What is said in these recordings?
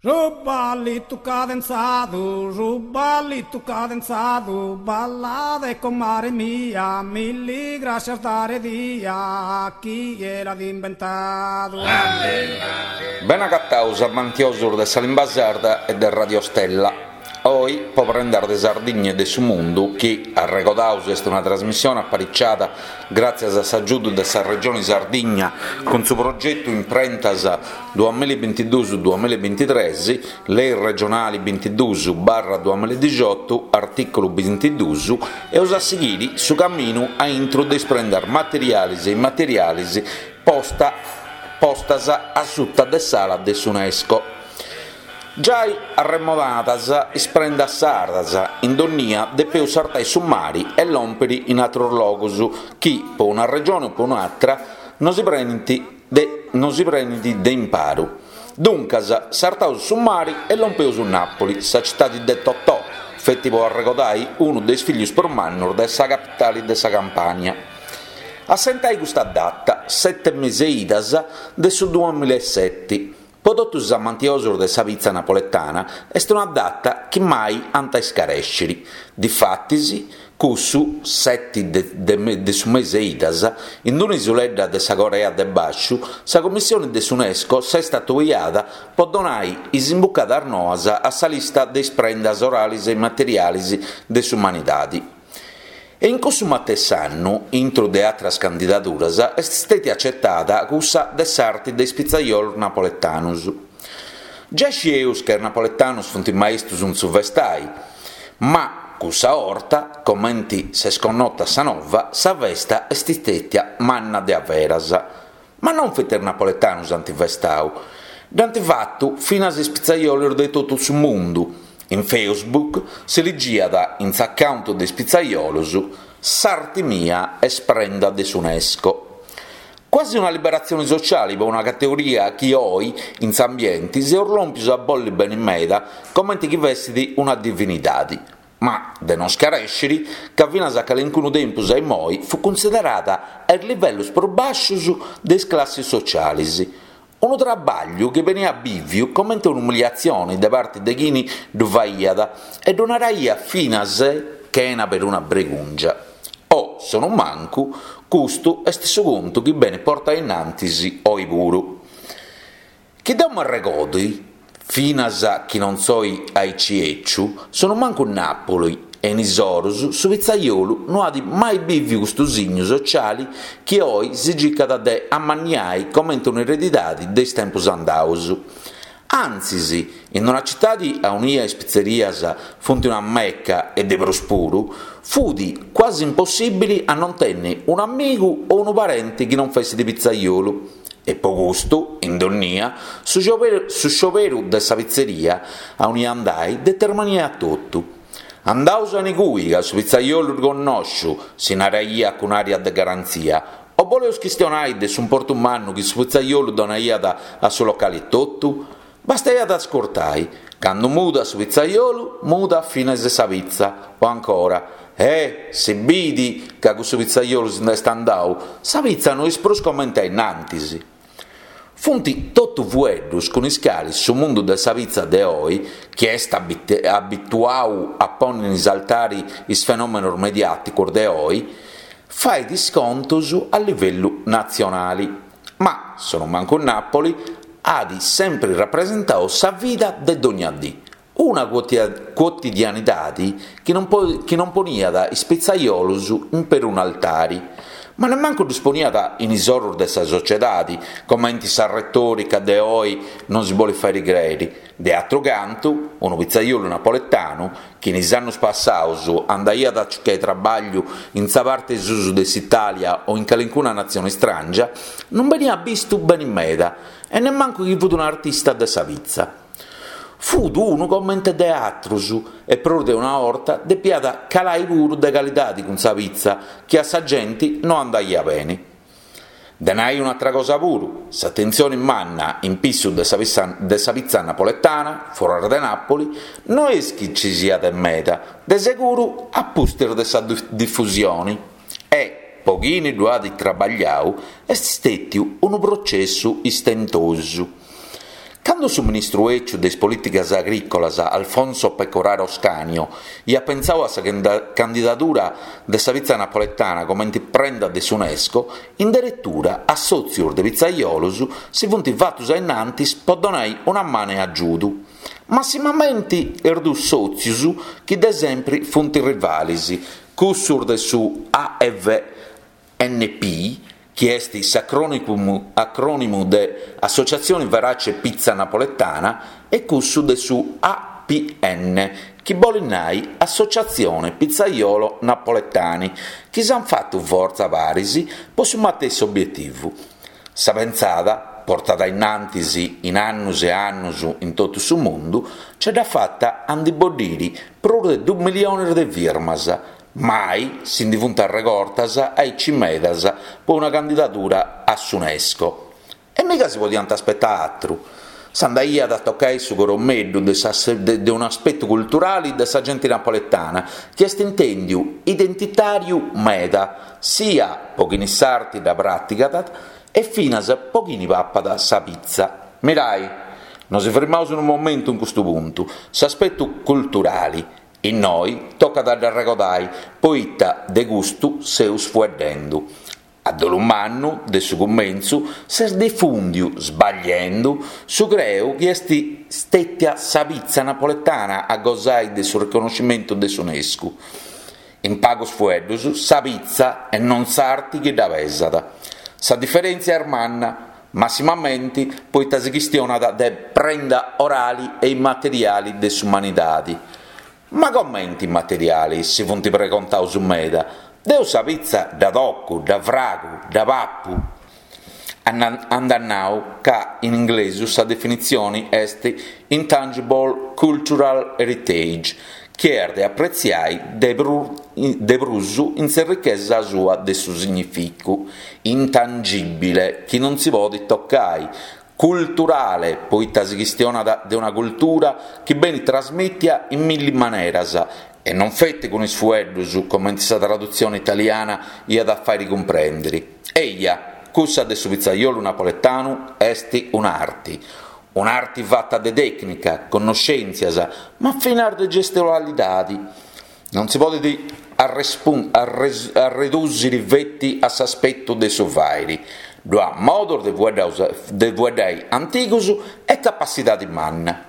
Su ballitu cadenzadu, su ballitu cadenzadu, ballade comare mia, milli grascias dare dia chie l'at imbentadu. Bene agatados amantiosos de sa limba sarda e de Radio Stella. Oi, po Prendas de Sardigna e de su Mundu, chi, arregodaus, est una trasmissione apariciada gràtzias a s'agiudu de sa Regioni Sardigna cun su progetu Imprentas duamillabintiduus duamillabintitres, Lei regionali bintiduus barra duamilladixiotu, artìculu bintiduus, eus a sighiri su caminu a intru de is prendas materialis e immaterialis posta postas a suta de s'ala de s'UNESCO. Giai arremonadas is prendas sardas, in donnia depeus sartai su mari e lòmpiri in atrus logus chi, po una regioni o po un'atra, no si prenint de no si prenint de imparu. Duncas, sartaus su mari e lompeus Nàpoli, sa citadi de Totò, feti po arregodai unu de is fillus prus mannus de sa capitali de sa Campània. Assentai custa data, seti mesi 'e idas de su duamillaeseti, Po totus is amantiosos de sa pitza napoletana est una data chi mai ant a iscarèsciri. Difatis, cussu seti de de su mesi 'e idas, in una isuledda de sa Corea de Bàsciu, sa Commissione de s'UNESCO s'est atobiada po donai is imbucadas noas a sa lista de is prendas orales e immateriales de s'umanidade. E in cussu matessi annu, intru de atras candidaduras, est stètia acetada cussa de s'arti de is pitzaiolos napoletanus. Giai scieus ca is napoletanus funt maistus in su festai, ma cussa 'orta, comenti s'est connota sa nova, sa festa est stètia manna de averas. Ma non feti is napoletanus ant festau, dd'ant fatu finas is pitzaiolos de totu su mundu. In Facebook si ligiat in s'account de is pitzaiolos, S'arti mia est prenda de s'UNESCO. Quasi una liberatzioni sociali po una categoria chi oi in s'ambienti seus lòmpius a bolli beni meda comenti chi fessit una divinidadi. Ma de non scarèsciri ca finas a calincunu tempus a immoi fut cunsiderada a is livellus prus bàscius de is classis socialis, unu trabàgliu chi beniat bìviu comente un'umiliatzioni de parti de chini ddu faiat e ddu naraiat finas chena peruna bregùngia. O, sonumancu, custu est su contu chi benit portau innantis oi puru. Chi deu m'arregodi, finas chi non soi aici 'eciu, sonumancu in Napoli e in is orus su pitzaiolu no at mai biviu custu signu sociali chi oi si circat de amanniai comente un'eredidadi de is tempus andaus. Antzis, in una citadi aunia is pitzerias funt una mecca e de prus puru, fut quasi impossibili a non tenni un'amigu o unu parenti chi non fessit pitzaiolu. E po custu, in donnia, su su scioberu de sa pitzeria aunia andai determiniat totu. Andaus a inigui ca su pitzaiolu ddu connosciu, si naraiat cun aria de garantzia, o boleus chistionai de s'importu mannu chi su pitzaiolu donaiat a su locali etotu? Bastaiat ascurtai, candu mudat su pitzaiolu, mudat finas sa pitza, o ancora, Eh, si bidi ca cussu pitzaiolu si nd'est andau, sa pitza no est prus comente a innantis. Funt totu fueddus cun is calis su mundu de sa pitza de oi, chi est abituau a ponni in s'altari is fenòmenos mediàticos de oi, fait is contus a livellu natzionali. Ma, sonumancu in Napoli, at sempri rapresentau sa vida de dogna dì, una cuotidianidadi chi non chi non poniat is pitzaiolos in perunu altari, ma nemmancu ddus poniat in is orus de sa sociedadi, comenti sa retòrica de oi nosi bolit fàiri crèiri. De atru cantu, unu pitzaiolu napoletanu, chi in is annus passaus andaiat a circai trabagliu in sa parte 'e susu de s'Italia o in calincuna natzione istràngia, non beniat bistu beni meda e nemmancu chi fut un'artista de sa pitza. Fut unu comente de atrus e prus de una 'orta depiat calai puru de calidadi cun sa pitza chi a sa genti no andaiat beni. De nai un'atra cosa puru, s'atentzioni manna in pissu de sa de sa pitza napoletana, foras de Napoli, no est chi ci siat de meda, de seguru a pustis de sa difusioni. E, po chini ddu at trabagliau, est stètiu unu processu istentosu. Candu su ministru 'eciu de is polìticas agrìcolas Alfonso Pecoraro Scanio iat pentzau a sa candidadura de sa pitza napoletana comenti prenda de s'Unesco, in deretura assòtzius de pitzaiolos si funt fatus a innantis po donai una manu 'e agiudu. Massimamenti is duus sòtzius chi de sempri funt rivalis, cussus de su AVNP, chi est s'acrònimu de Associazione Verace Pizza Napoletana, e cussu de su APN, chi bolit nai Associazione Pizzaiolo Napoletani, chi s'ant fatu fortza paris po su matessi obietivu. Sa pentzada, portada innantis in annus e annus in totu su mundu, ce dd'at fata a ndi boddiri prus de dus milionis de firmas, Mai si ndi funt arregortas aici medas po una candidadura a s'Unesco. E miga si podiant aspetai atru. S'andaiat a tocai su coromeddu de de unu aspetu culturali de sa genti napoletana chi est intèndiu identitàriu meda, sia po chini s'arti dda pràtigat e finas po chini papat sa pitza. Mirai, nosi frimaus unu momentu in custu puntu, s'aspetu culturali Innoi tocat a dd'arregodai, poita de custu seus fueddendu. A dolu mannu, de su cumentzu s'est difùndiu, sbagliendu, su creu chi est stètia sa pitza napoletana a gosai de su riconoscimentu de s'Unesco. In pagus fueddus, sa pitza e non s'arti chi dda pesat. Sa diferèntzia est manna, massimamenti poita si chistionat de prenda orali e immateriali de s'umanidadi. Ma comenti immateriali, si funt pregontaus meda, deu sa pitza dda tocu, dda fragu, dda papu. Andat nau ca in inglesu sa definitzioni est intangible cultural heritage, chi est de apretziai de de prus in s'errichesa sua de su significu, intangìbile, chi non si podit tocai, culturale, poita si chistionat de una cultura chi benit trasmìtia in milli maneras e non feti cun is fueddus, comenti sa tradutzioni italiana iat a fàiri cumprèndiri. Eja, cussa de su pitzaiolu napoletanu est un'arti. Un'arti fata de tècnica, connoschèntzias, ma finas de gestualidadi. Non si podit arredùsiri feti a s'aspetu de su fàiri. Ddu at modos de fueddai antigus e capassidadi manna.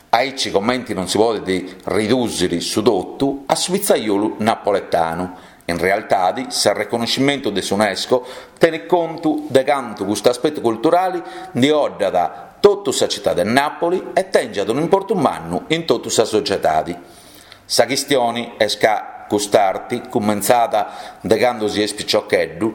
Aici comenti non si podit ridùsiri su totu a su pitzaiolu napoletanu. In realtadi s'arreconnoscimentu de s'Unesco tenit contu de cantu custu aspetu culturali ndi 'oddat totu sa citadi de Napoli e tèngiat un'importu mannu in totu sa sociedadi. Sa chistioni est ca cust'arti, cumentzada de candu si est piciocheddu,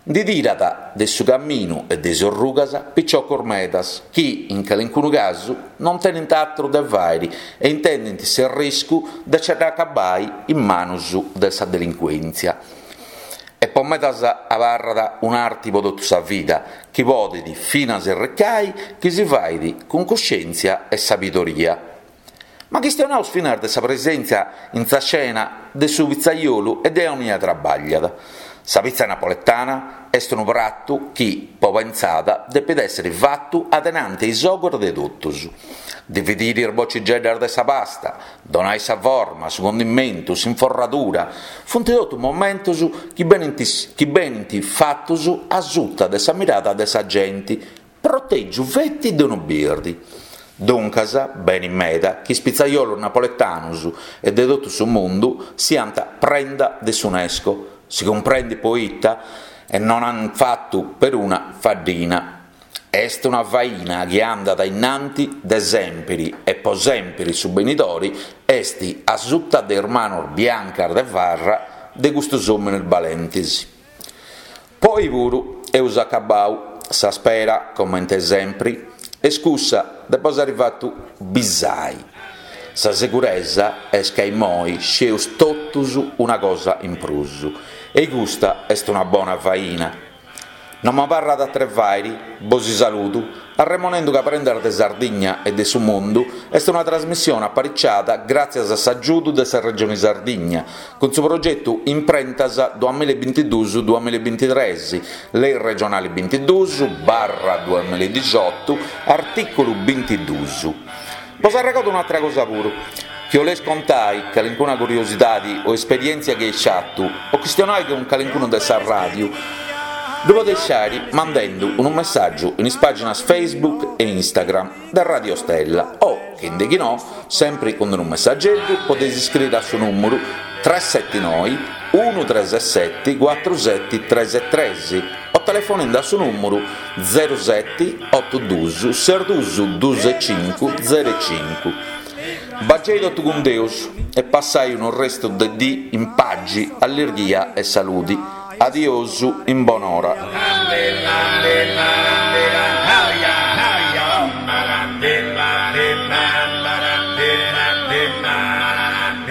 ndi tirat de su caminu e de is orrugas piciocos medas chi, in calincunu casu, non tenint atru de fàiri e intendint s'erriscu de ce dda acabai in manus de sa delincuèntzia. E po medas abarrat un'arti po totu sa vida, chi podit finas erricai chi si fait cun cuscèntzia e sabidoria. Ma chistionaus finas de sa presèntzia in sa scena de su pitzaiolu e de aunia trabagliat. Sa pitza napoletana est unu pratu chi, po pentzada, depit èssiri fatu adenanti a is ogos de totus. Dividiri is bocigeddas de sa pasta, donai sa forma, su condimentu, s'inforradura, funt totu momentos chi benint chi benint fatus a suta de sa mirada de sa genti, Protègiu feti de unu birdi. Duncas, benit meda chi is pitzaiolos napoletanus e de totu su mundu siant prenda de s'Unesco, si cumprendit poita, e non ant fatu peruna faddina. Est una faina chi andat ainnanti de sèmpiri e po sèmpiri su benidori est a suta de is manos biancas de farra de custus òmines balentis. Po oi puru eus acabau sa spera, comente sempri, est cussa de bos ari fatu bisai. Sa seguresa est ca immoi scieus totus una cosa in prus, e custa est una bona faina. No m'abarrat ateru 'e fàiri, bosi saludu, arremonendu ca Prendas de Sardigna e de su Mundu est una trasmissione apariciada gràtzias a s'agiudu de sa Regioni Sardigna, cun su progetu Imprentas duamilla e bintiduus duamilla e bintitres, Lei regionali bintiduus barra duamilla e dixiotu, artìculu bintiduus. Bos arregodu un'atra cosa puru, chi 'oleis contai calincuna curiosidadi o esperièntzia chi eis fatu o chistionai cun calincunu de sa ràdiu, ddu podeis fàiri mandendu unu messàgiu in is pàginas Facebook e Instagram de Radio Stella o, chindechinò, sempri cun unu messageddu podeis iscriri a su nùmuru tres seti noi unu tres seti cuatru seti tres tres o telefonendi a su nùmuru zeru seti otu dus ses dus dus e cincu zeru e cincu. Bagei totu cun Deus e passai unu restu de dì in pagi, allirghia e saludi. Adiosu in bonora.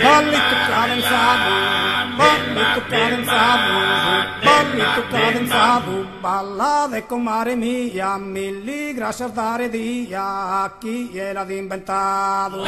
Ballitu cadenzadu, ballitu cadenzadu, ballitu cadenzadu, ballade comare mia, milli grascias dare dia, chie l'at imbentadu.